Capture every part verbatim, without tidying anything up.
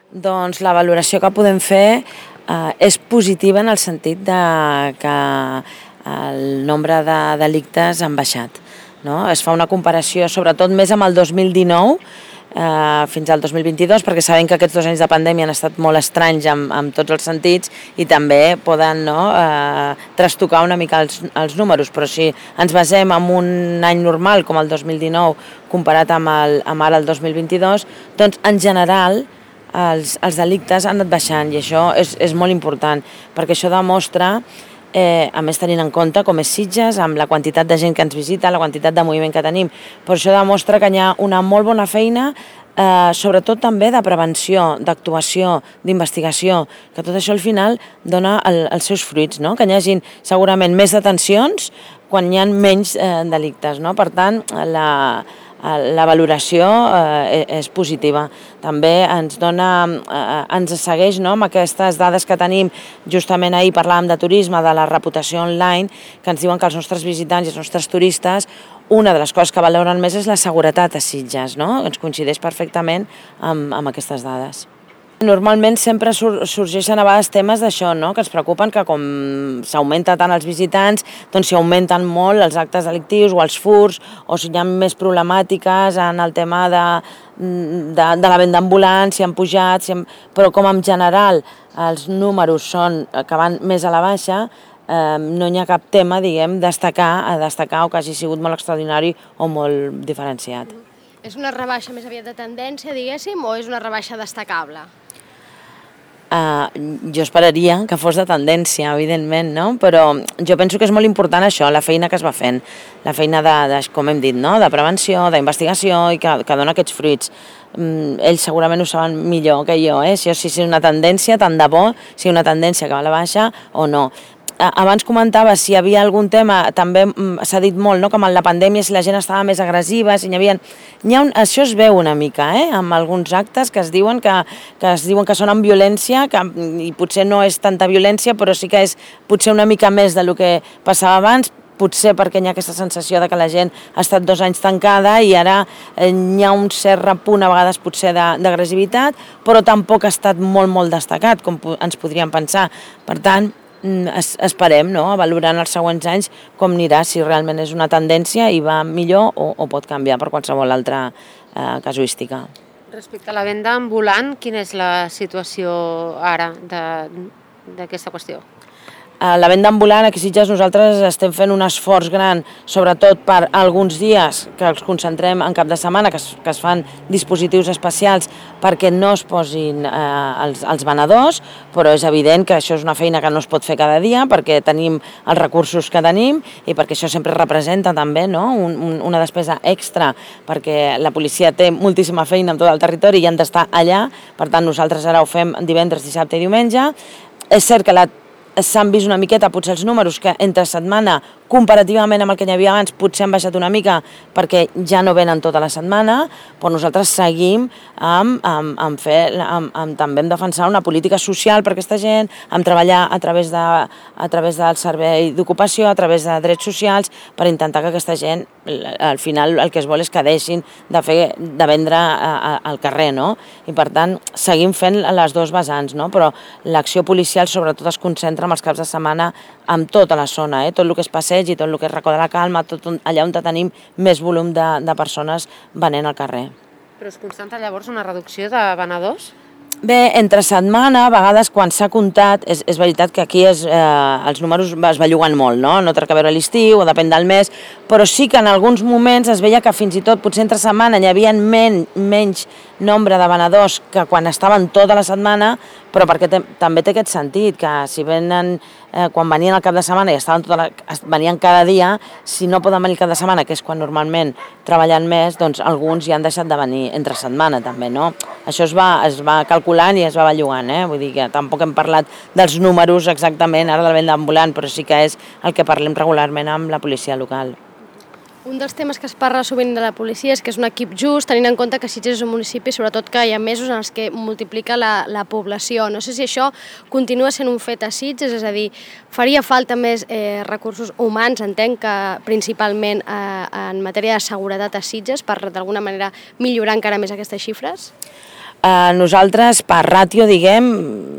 Doncs la valoració que podem fer eh, és positiva en el sentit de que el nombre de delictes han baixat. No? Es fa una comparació, sobretot més amb el dos mil dinou, eh, fins al dos mil vint-i-dos, perquè sabem que aquests dos anys de pandèmia han estat molt estranys en, en tots els sentits i també poden no, eh, trastocar una mica els, els números, però si ens basem en un any normal com el dos mil dinou comparat amb, el, amb ara el dos mil vint-i-dos, doncs en general els, els delictes han anat baixant i això és, és molt important perquè això demostra, eh, a més tenint en compte com és Sitges, amb la quantitat de gent que ens visita, la quantitat de moviment que tenim, però això demostra que hi ha una molt bona feina, eh, sobretot també de prevenció, d'actuació, d'investigació, que tot això al final dona el, els seus fruits, no? Que hi hagi segurament més detencions quan hi ha menys eh, delictes, no? Per tant, la... la valoració eh, és positiva. També ens dona, eh, ens segueix no, amb aquestes dades que tenim, justament ahir parlàvem de turisme, de la reputació online, que ens diuen que els nostres visitants i els nostres turistes, una de les coses que valoren més és la seguretat a Sitges, no? Ens coincideix perfectament amb, amb aquestes dades. Normalment sempre sur sorgeixen a vegades temes d'això, no? Que ens preocupen que com s'augmenta tant els visitants, doncs s'hi augmenten molt els actes delictius o els furts, o si hi ha més problemàtiques en el tema de, de, de la venda ambulant, si han pujat, si han... però com en general els números són que van més a la baixa, eh, no hi ha cap tema, diguem, destacar, a destacar o que hagi sigut molt extraordinari o molt diferenciat. És una rebaixa més aviat de tendència, diguéssim, o és una rebaixa destacable? Uh, jo esperaria que fos de tendència, evidentment, no? Però jo penso que és molt important això, la feina que es va fent, la feina de, de com hem dit, no? De prevenció, d'investigació i que, que dona aquests fruits. Um, ells segurament ho saben millor que jo, eh? Si és una tendència, tant de bo, si una tendència que va a la baixa o no. Abans comentava si hi havia algun tema, també s'ha dit molt, no? Com en la pandèmia, si la gent estava més agressiva, si hi havia... Hi ha un... Això es veu una mica, eh? Amb alguns actes que es diuen que, que, es diuen que són amb violència, que, i potser no és tanta violència, però sí que és potser una mica més del que passava abans, potser perquè hi ha aquesta sensació de que la gent ha estat dos anys tancada i ara hi ha un cert repunt a vegades potser d'agressivitat, però tampoc ha estat molt, molt destacat, com ens podríem pensar. Per tant, Es, esperem, no?, valorant els següents anys com anirà, si realment és una tendència i va millor o, o pot canviar per qualsevol altra eh, casuística. Respecte a la venda ambulant, quina és la situació ara d'aquesta qüestió? La venda ambulant, aquí a Sitges nosaltres estem fent un esforç gran, sobretot per alguns dies que els concentrem en cap de setmana, que es, que es fan dispositius especials perquè no es posin eh, els, els venedors, però és evident que això és una feina que no es pot fer cada dia perquè tenim els recursos que tenim i perquè això sempre representa també, no? un, un, una despesa extra, perquè la policia té moltíssima feina en tot el territori i han d'estar allà, per tant nosaltres ara ho fem divendres, dissabte i diumenge. És cert que la s'han vist una miqueta, potser els números que entre setmana, comparativament amb el que hi havia abans, potser han baixat una mica perquè ja no venen tota la setmana, però nosaltres seguim amb, amb, amb fer, amb, amb, també en defensar una política social per aquesta gent, amb treballar a través, de, a través del servei d'ocupació, a través de drets socials, per intentar que aquesta gent, al final el que es vol és que deixin de, fer, de vendre a, a, al carrer, no? I per tant seguim fent les dues vessants, no? Però l'acció policial sobretot es concentra amb els caps de setmana amb tota la zona, eh? Tot el que és passeig i tot el que és Racó de la Calma, tot allà on tenim més volum de, de persones venent al carrer. Però es constata llavors una reducció de venedors? Bé, entre setmana, a vegades quan s'ha comptat, és, és veritat que aquí és, eh, els números es belluguen molt, no? No té a veure l'estiu o depèn del mes, però sí que en alguns moments es veia que fins i tot potser entre setmana hi havia men, menys nombre de venedors que quan estaven tota la setmana, però perquè te, també té aquest sentit, que si venen, eh, quan venien al cap de setmana i estaven tota la, venien cada dia, si no poden venir el cap de setmana, que és quan normalment treballen més, doncs alguns ja han deixat de venir entre setmana també, no? Això es va, es va calculant i es va bellugant, eh? Vull dir que tampoc hem parlat dels números exactament ara de la venda ambulant, però sí que és el que parlem regularment amb la policia local. Un dels temes que es parla sovint de la policia és que és un equip just, tenint en compte que Sitges és un municipi, sobretot que hi ha mesos en els que multiplica la, la població. No sé si això continua sent un fet a Sitges, és a dir, faria falta més eh, recursos humans, entenc que principalment eh, en matèria de seguretat a Sitges, per d'alguna manera millorar encara més aquestes xifres? Eh, nosaltres, per ràtio, diguem,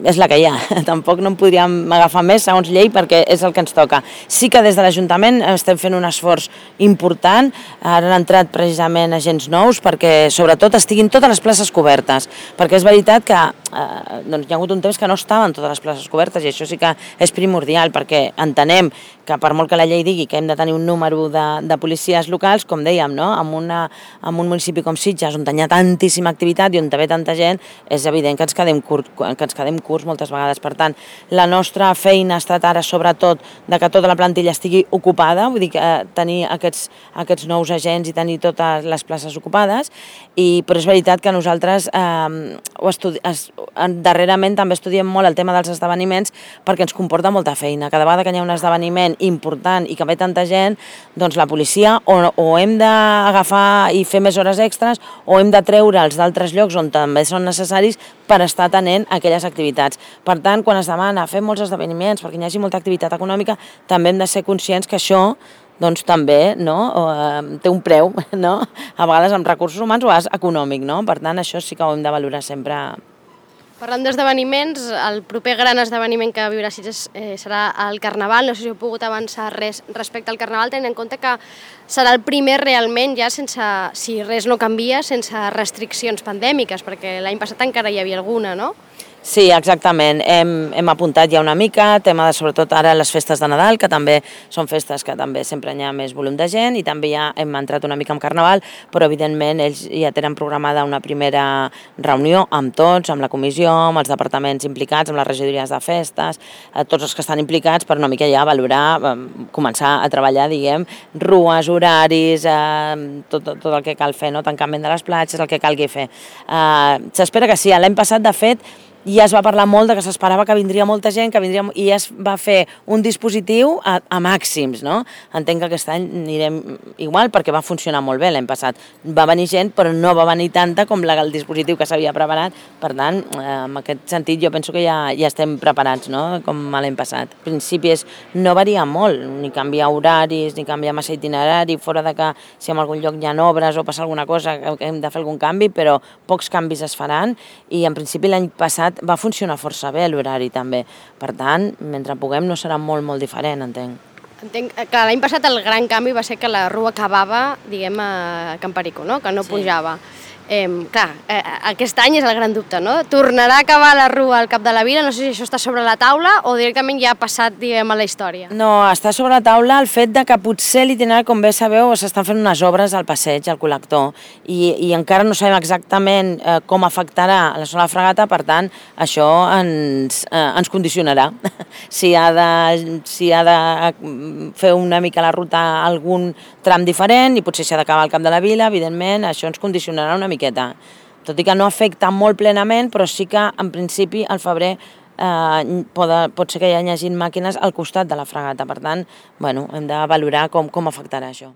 és la que hi ha. Tampoc no en podríem agafar més, segons llei, perquè és el que ens toca. Sí que des de l'Ajuntament estem fent un esforç important. Ara han entrat precisament agents nous perquè, sobretot, estiguin totes les places cobertes. Perquè és veritat que eh, doncs hi ha hagut un temps que no estaven totes les places cobertes i això sí que és primordial, perquè entenem que per molt que la llei digui que hem de tenir un número de, de policies locals, com dèiem, no? en, una, en un municipi com Sitges, on hi ha tantíssima activitat i on ve tanta gent, és evident que ens quedem, curt, que ens quedem curts moltes vegades. Per tant, la nostra feina ha estat ara, sobretot, de que tota la plantilla estigui ocupada, vull dir que eh, tenir aquests, aquests nous agents i tenir totes les places ocupades, i, però és veritat que nosaltres eh, ho estudi es, darrerament també estudiem molt el tema dels esdeveniments perquè ens comporta molta feina. Cada vegada que hi ha un esdeveniment important i que ve tanta gent, doncs la policia o, o hem d'agafar i fer més hores extres o hem de treure'ls d'altres llocs on també són necessaris per estar atenent aquelles activitats. Per tant, quan es demana fer molts esdeveniments perquè hi hagi molta activitat econòmica, també hem de ser conscients que això doncs també no, té un preu, no? A vegades amb recursos humans o és econòmic, no? Per tant, això sí que ho hem de valorar sempre. Parlant d'esdeveniments, el proper gran esdeveniment que viurà Sitges eh, serà el Carnaval. No sé si heu pogut avançar res respecte al Carnaval, tenint en compte que serà el primer realment, ja sense, si res no canvia, sense restriccions pandèmiques, perquè l'any passat encara hi havia alguna, no? Sí, exactament. Hem, hem apuntat ja una mica, tema de sobretot ara les festes de Nadal, que també són festes que també sempre hi ha més volum de gent, i també ja hem entrat una mica en Carnaval, però evidentment ells ja tenen programada una primera reunió amb tots, amb la comissió, amb els departaments implicats, amb les regidories de festes, tots els que estan implicats per una mica ja valorar, començar a treballar, diguem, rues, horaris, eh, tot, tot el que cal fer, no? Tancament de les platges, el que calgui fer. Eh, S'espera que sí. L'any passat, de fet, ja es va parlar molt de que s'esperava que vindria molta gent, que vindria, i es va fer un dispositiu a, a màxims, no? Entenc que aquest any anirem igual perquè va funcionar molt bé l'any passat. Va venir gent, però no va venir tanta com la, el dispositiu que s'havia preparat. Per tant, eh, en aquest sentit jo penso que ja, ja estem preparats, no? Com l'any passat. En principi és no varia molt, ni canviar horaris, ni canviar massa itinerari, fora de que si en algun lloc hi ha obres o passa alguna cosa que hem de fer algun canvi, però pocs canvis es faran, i en principi l'any passat va funcionar força bé l'horari també. Per tant, mentre puguem no serà molt, molt diferent, entenc. Entenc que l'any passat el gran canvi va ser que la rua acabava, diguem, a Can Perico, no? Que no sí. pujava. Eh, clar, eh, aquest any és el gran dubte, no? Tornarà a acabar la rua al cap de la vila? No sé si això està sobre la taula o directament ja ha passat, diguem, a la història. No, està sobre la taula el fet de que potser l'itinerari, com bé sabeu, s'estan fent unes obres al passeig, al col·lector, i, i encara no sabem exactament eh, com afectarà la zona de Fragata, per tant, això ens, eh, ens condicionarà. si, ha de, si ha de fer una mica la ruta a algun tram diferent, i potser s'ha d'acabar al cap de la vila, evidentment, això ens condicionarà una mica. Tot i que no afecta molt plenament, però sí que en principi al febrer eh, pot, pot ser que hi hagi màquines al costat de la Fragata. Per tant, bueno, hem de valorar com, com afectarà això.